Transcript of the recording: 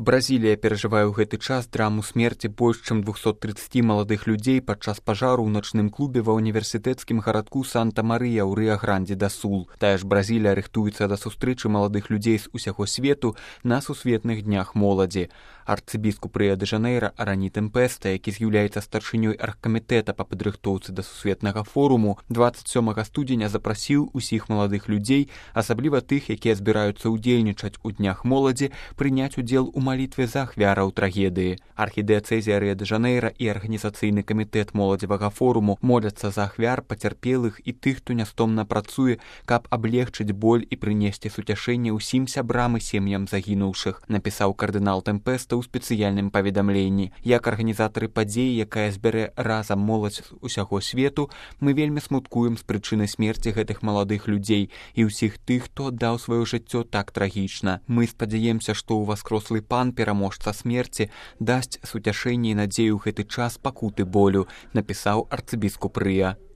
Бразілія перажывае ў гэты час драму смерці больш чым 230 маладых людзей падчас пажару ў начным клубе ва універсітэцкім гарадку Санта-Марыя ў Рыа-Гранді-да-Сул. Тая ж Бразілія рыхтуецца да сустрэчы маладых людзей з усяго свету на сусветных днях моладзі. Арцыбіскуп Рыа-дэ-Жанэйра Арані Тэмпэста, які з'яўляецца старшынёй аргкамітэта па падрыхтоўцы да сусветнага форуму, 27 студзеня запрасіў усіх маладых людзей, асабліва тых, якія збіраюцца ўдзельнічаць у днях моладзі, прыняць удзел у малітве за ахвяраў трагедыі. Архідыяцэзія Рыа-дэ-Жанэйра і арганізацыйны камітэт моладзевага форуму моляцца за ахвяр, пацярпелых і тых, хто нястомна працуе, каб аблегчыць боль і прынесці суцяшэнне ўсім сябрам і сем'ям загінуўшых, напісаў кардынал Тэмпэста ў спецыяльным паведамленні. Як арганізатары падзеі, якая збярэ разам моладзь з усяго свету, мы вельмі смуткуем з прычыны смерці гэтых маладых людзей і ўсіх тых, хто аддаў сваё жыццё так трагічна. Мы спадзяемся, што ўваскрослы пан, пераможца смерці, дасць суцяшэнне і надзею ў гэты час пакуты болю, напісаў арцыбіскуп Рыа.